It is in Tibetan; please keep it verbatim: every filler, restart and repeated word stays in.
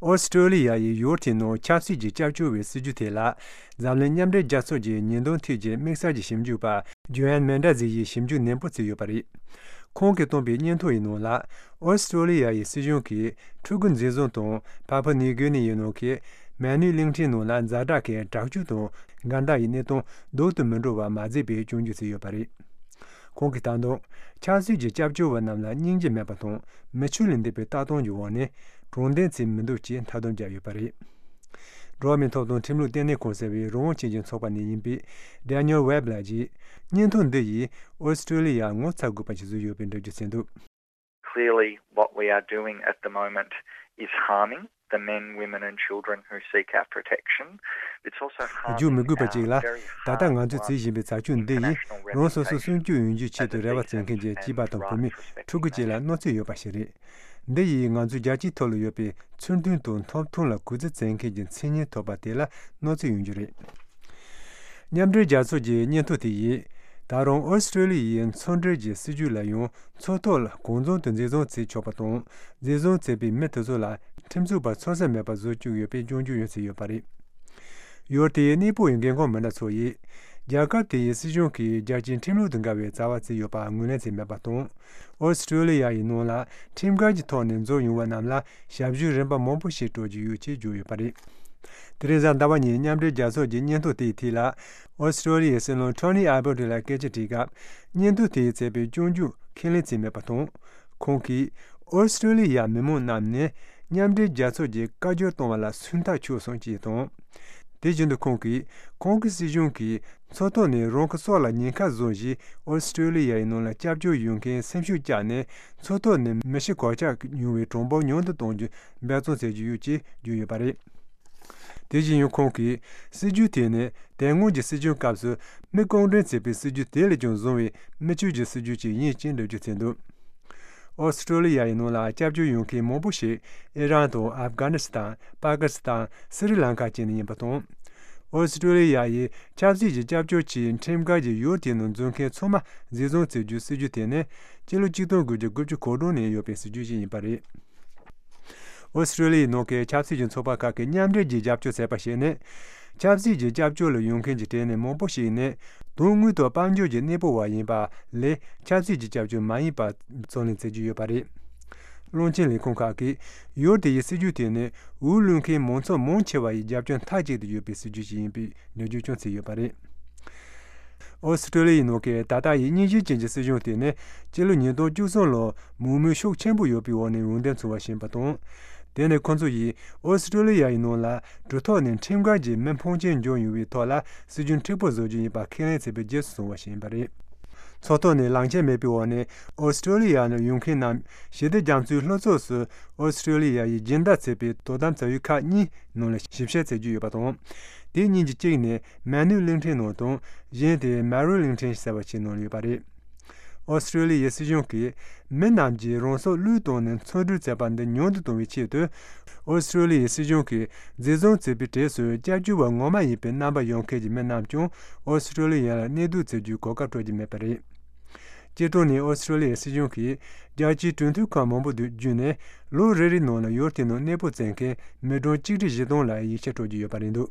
ཨོ་སི་ཀྲོ་ལི་ཡ་ཡིས་ཡུལ་དེའི་ནང་ཆབ་སྲིད་ཀྱི་སྐྱབས་བཅོལ་བའི་སྲིད་ཇུས་དེ་ལ་འཛམ་གླིང་མཉམ་འབྲེལ་རྒྱལ་ཚོགས་ཀྱི་ཉེས་དོན་ཐད་ཀྱི་དམིགས་བསལ་གྱི་ཞིབ་འཇུག་པ་ཇོ་ཨན་མེན་ཌ་ཛི་ཡིས་ཞིབ་འཇུག་ནན་པོ་བྱས་ཡོད་པ་རེད། ཁོང་གིས་བཏོན་པའི་སྙན་ཐོ་ཡི་ནང་ལ། ཨོ་སི་ཀྲོ་ལི་ཡ་ཡི་སྲིད་གཞུང་གིས་ཕྲུ་གུ་འཛིན་བཟུང་དང་ཕ་ཕུ་ནིའུ་གི་ནི་ཡི་ནང་གི་མན་ནུས་གླིང་ཕྲན་ནང་ལ་ཛ་དྲག་གི་དྲག་སྤྱོད་དང་འགལ་ཟླ་ཡི་གནས་སྟངས་ལྡོག་ཏུ་མི་འགྲོ་བ་མ་བརྩིས་པའི་སྐྱོན་བརྗོད་བྱས་ཡོད་པ་རེད། ཁོང་གིས་ད་དུང་ཆབ་སྲིད་ཀྱི་སྐྱབས་བཅོལ་བ་རྣམས་ལ་སྙིང་རྗེ་མེད་པ་དང་མི་ཆོས་ལས་འདས་པའི་ལྟ་སྟངས་ཀྱི་འོག་ནས་དྲང་བདེན་བྱེད་མི་འདུག་ཅེས་མཐའ་སྡོམ་བརྒྱབ་ཡོད་པ་རེད། འགྲོ་བ་མིའི་ཐོབ་ཐང་ཁྲིམས་ལུགས་ལྟེ་གནས་ཁང་ཟེར་བའི་རང་དབང་ཅན་གྱི་ཚོགས་པ་ནས་ཡིན་པའི་Daniel Webb ལགས་ཀྱིས་སྙན་ཐོ་འདི་ཡིས་ཨོ་སི་ཀྲོ་ལི་ཡ་ངོ་ཚ་དགོས་པ་ཞིག་བཟོས་ཡོད་པའི་འགྲེལ་བརྗོད་བྱས་འདུག། Clearly, what we are doing at the moment is harming the men, women and children who seek our protection. It's also རྒྱུ་མི་དགོས་པ་ཅིག་ལ་ད་ལྟ་ང་ཚོས་བྱེད་བཞིན་པའི་བྱ་སྤྱོད་འདི་ཡིས་རང་སོ་སོ་སྲུང་སྐྱོབ་ཡོང་རྒྱུའི་ཆེད་དུ་རེ་བ་བྱེད་མཁན་གྱི་སྐྱེས་པ་དང་བུད་མེད་ཕྲུ་གུ་བཅས་ལ་གནོད་འཚེ་ཡོད་པ་ཞིག་རེད། འདི་ཡིས་ང་ཚོའི་རྒྱལ་སྤྱིའི་ཐོག་ལ་ཡོད་པའི་ཚུལ་མཐུན་དང་ཐོབ་ཐང་ལ་གུས་བརྩི་བྱེད་མཁན་གྱི་མཚན་སྙན་ཐོབ་པ་དེ་ལ་གནོད་འཚེ་ཡོང་རྒྱུ་རེད། མཉམ་འབྲེལ་རྒྱལ་ཚོགས་ཀྱི་སྙན་ཐོ་དེ་ཡིས་ད་རུང་ཨོ་སི་ཀྲོ་ལི་ཡའི་མཚོ་འབྲེལ་གྱི་སྲིད་ཇུས་ལ་ཡང་མཚོ་ཐོག་ལ་གང་བྱུང་དུ་འཛིན་བཟུང་བྱེད་ཆོག་པ་དང་འཛིན་བཟུང་བྱས་པའི་མི་དེ་ཚོ་ལ་ཁྲིམས་རྩོད་པ་འཚོལ་ས་མེད་པ་བཟོ་བཅུག་ཡོད་པའི་སྐྱོན་བརྗོད་ཡང་བྱས་ཡོད་པ་རེད། ཡུལ་དེའི་གནས་སྤོ་བའི་འགན་ཁུར་མི་སྣ་ཚོ་ཡིས། རྒྱལ་ཁབ་དེའི་སྲིད་གཞུང་གིས་རྒྱལ་སྤྱིའི་ཁྲིམས་ལུགས་དང་འགལ་བའི་བྱ་བ་བྱས་ཡོད་པ་ངོས་ལེན་བྱས་མེད་པ་དང་། ཨོ་སི་ཀྲོ་ལི་ཡ་ཡི་ནང་ལ་ཁྲིམས་འགལ་གྱི་ཐོག་ནས་འཛུལ་ཡོང་བ་རྣམས་ལ་ཞབས་ཞུའི་རིན་པ་མང་པོ་ཞིག་སྤྲོད་ཀྱི་ཡོད་ཅེས་བརྗོད་ཡོད་པ་རེད། དེ་རིང་གཟའ་ཟླ་བ་ཉིན་མཉམ་འབྲེལ་རྒྱལ་ཚོགས་ཀྱི་སྙན་ཐོ་དེའི་ཐད་ལ། ཨོ་སི་ཀྲོ་ལི་ཡའི་སྲིད་བློན་Tony Abbott ལ་སྐད་ཆ་དྲིས་སྐབས། སྙན་ཐོ་དེས་བྱས་པའི་སྐྱོན་བརྗོད་ཁས་ལེན་བྱས་མེད་པ་དང་། ཁོང་གིས། ཨོ་སི་ཀྲོ་ལི་ཡ་མི་མང་རྣམས་ནས་མཉམ་འབྲེལ་རྒྱལ་ཚོགས་ཀྱི་བཀའ་བཀྱོན་གཏོང་བ་ལ་སུན་ཐག་ཆོད་སོང་ཅེས་དང་། དེ་བཞིན་དུ་ཁོང་གིས་ཁོང་གི་སྲིད་གཞུང་གིས་མཚོ་ཐོག་ནས་རང་གི་སྲོག་ལ་ཉེན་ཁ་བཟོ་བཞིན་ཨོ་སི་ཀྲོ་ལི་ཡའི་ནང་ལ་སྐྱབས་བཅོལ་ཡོད་མཁན་སེམས་ཤུགས་བཅག་ནས་མཚོ་ཐོག་ནས་མི་ཤི་གོད་ཆག་ཡོང་བའི་གྲངས་འབོར་ཉུང་དུ་གཏོང་རྒྱུ་འབད་བརྩོན་བྱེད་ཀྱི་ཡོད་ཅེས་བརྗོད་ཡོད་པ་རེད། དེ་བཞིན་ཡང་ཁོང་གིས་སྲིད་ཇུས་དེ་ནི་དེ་སྔོན་གྱི་སྲིད་སྐྱོང་སྐབས་སུ་མི་རྐང་འདྲེན་བྱས་པའི་སྲིད་ཇུས་དེ་ལས་ཀྱང་བཟང་བའི་མི་ཆོས་ཀྱི་སྲིད་ཇུས་ཅིག་ཡིན་ཅེས་འགྲེལ་བརྗོད་བྱས་འདུག། ཨོ་སི་ཀྲོ་ལི་ཡ་ཡི་ནང་ལ་སྐྱབས་བཅོལ་ཡོང་མཁན་མང་པོ་ཞིག་ཨི་རན་དང་ཨབ་གྷ་ནི་སི་ཐན། པ་ཀི་སི་ཐན། སི་རི་ལང་ཀ་བཅས་ནས་ཡིན་པ་དང་། ཨོ་སི་ཀྲོ་ལི་ཡ་ཡིས་ཆབ་སྲིད་ཀྱི་སྐྱབས་བཅོལ་གྱི་ཁྲིམས་འགལ་གྱིས་ཡུལ་དེའི་ནང་འཛུལ་མཁན་ཚང་མ་འཛིན་བཟུང་བྱེད་རྒྱུའི་སྲིད་ཇུས་དེ་ནི་སྤྱི་ལོ་ཆིག་སྟོང་དགུ་བརྒྱ་དགུ་བཅུ་གོ་གྲངས་ནས་ཡོད་པའི་སྲིད་ཇུས་ཤིག་ཡིན་པ་རེད། ཨོ་སི་ཀྲོ་ལི་ཡའི་ནང་གི་ཆབ་སྲིད་ཀྱི་ཚོགས་པ་ཁག་གིས་མཉམ་འབྲེལ་གྱིས་རྒྱབ་སྐྱོར་བྱས་པ་ཞིག་ནི། ཆབ་སྲིད་ཀྱི་སྐྱབས་བཅོལ་ལ་ཡོང་མཁན་གྱི་གྲས་ནས་མང་པོ་ཞིག་ནི། དོན་དངོས་ཐོག་དཔལ་འབྱོར་གྱི་གནས་སྤོ་བ་ཡིན་པ་ལས་ཆབ་སྲིད་ཀྱི་སྐྱབས་བཅོལ་མ་ཡིན་པ་རྩོད་ལེན་བྱེད་ཀྱི་ཡོད་པ་རེད། བློན་ཆེན་ལས་ཁུངས་ཁག་གིས་ཡུལ་དེ་ཡི་སྲིད་ཇུས་དེ་ནི་འོས་བླུག་མཁན་མང་ཚོགས་མང་ཆེ་བ་ཡི་རྒྱབ་སྐྱོར་མཐའ་གཅིག་ཏུ་ཡོད་པའི་སྲིད་ཇུས་ཤིག་ཡིན་པའི་འགྲེལ་བརྗོད་ཀྱང་བྱས་ཡོད་པ་རེད། ཨོ་སི་ཀྲོ་ལི་ཡའི་ནང་གི་ད་ལྟ་ཡི་རྙིང་ཞེན་ཅན་གྱི་སྲིད་གཞུང་དེ་ནི་སྤྱི་ལོ་ཉིས་སྟོང་བཅུ་གསུམ་ལོར་མང་མོས་ཤུགས་ཆེན་པོ་ཡོད་པའི་འོག་ནས་འོས་འདེམས་བྱུང་བ་ཞིག་ཡིན་པ་དང་། དེ་ནི་ཁོ་ཚོ་ཡིས་ཨོ་སི་ཀྲོ་ལི་ཡ་ཡི་ནང་ལ་གྲུ་ཐོག་ནས་ཁྲིམས་འགལ་གྱི་མི་ཕོན་ཆེན་འབྱོར་ཡོང་བའི་ཐོག་ལ་སྲིད་ཇུས་མཁྲེགས་པོ་བཟོ་རྒྱུ་ཡིན་པ་ཁས་ལེན་བྱས་པའི་རྗེས་སུ་བྱུང་བ་ཞིག་ཡིན་པ་རེད། མཚོ་ཐོག་ནས་ལག་ཁྱེར་མེད་པའི་འོག་ནས་ཨོ་སི་ཀྲོ་ལི་ཡ་ནས་ཡོང་མཁན་རྣམས་ཞི་བདེ་རྒྱ་མཚོའི་ལྷོ་ཕྱོགས་སུ་ཨོ་སི་ཀྲོ་ལི་ཡ་ཡིས་སྦྱིན་བདག་བྱས་པའི་དོ་དམ་བྱ་ཡུལ་ཁག་གཉིས་ནང་ལ་ཞིབ་བཤེར་བྱེད་རྒྱུ་ཡོད་པ་དང་། དེ་གཉིས་ཀྱི་གཅིག་ནི་མན་ནུས་གླིང་ཕྲན་ནང་དང་གཞན་དེ་མ་རུ་གླིང་ཕྲན་ཟེར་བ་ཞིག་ནང་ལ་ཡོད་པ་རེད། ཨོ་སི་ཀྲོ་ལི་ཡའི་སྲིད་གཞུང་གིས་མི་རྣམས་ཀྱིས་རང་སྲོག་བློས་བཏང་ནས་འཚོ་སྡོད་བྱེད་པ་འདི་ཉུང་དུ་གཏོང་བའི་ཆེད་དུ། ཨོ་སི་ཀྲོ་ལི་ཡའི་སྲིད་གཞུང་གིས་འཛིན་བཟུང་བྱས་པའི་གྲས་སུ་སྐྱབས་བཅོལ་བ་ངོ་མ་ཡིན་པའི་རྣམ་པ་ཡོད་མཁན་གྱི་མི་རྣམས་ཀྱང་ཨོ་སི་ཀྲོ་ལི་ཡ་ལ་གནས་སྡོད་བྱེད་རྒྱུའི་གོ་སྐབས་སྤྲོད་ཀྱི་མེད་པ་རེད། སྤྱིར་བཏང་ནས་ཨོ་སི་ཀྲོ་ལི་ཡའི་སྲིད་གཞུང་གིས་རྒྱལ་སྤྱིའི་གྲོས་མཐུན་ཁག་མང་པོ་བརྒྱུད་ནས་ལོ་རེ་རེའི་ནང་ལ་ཡུལ་དེའི་ནང་གནས་སྤོ་བྱེད་མཁན་མི་གྲངས་གཅིག་ཁྲི་བཞི་སྟོང་ལ་ཡིག་ཆ་སྤྲོད་ཀྱི་ཡོད་པ་རེད་འདུག།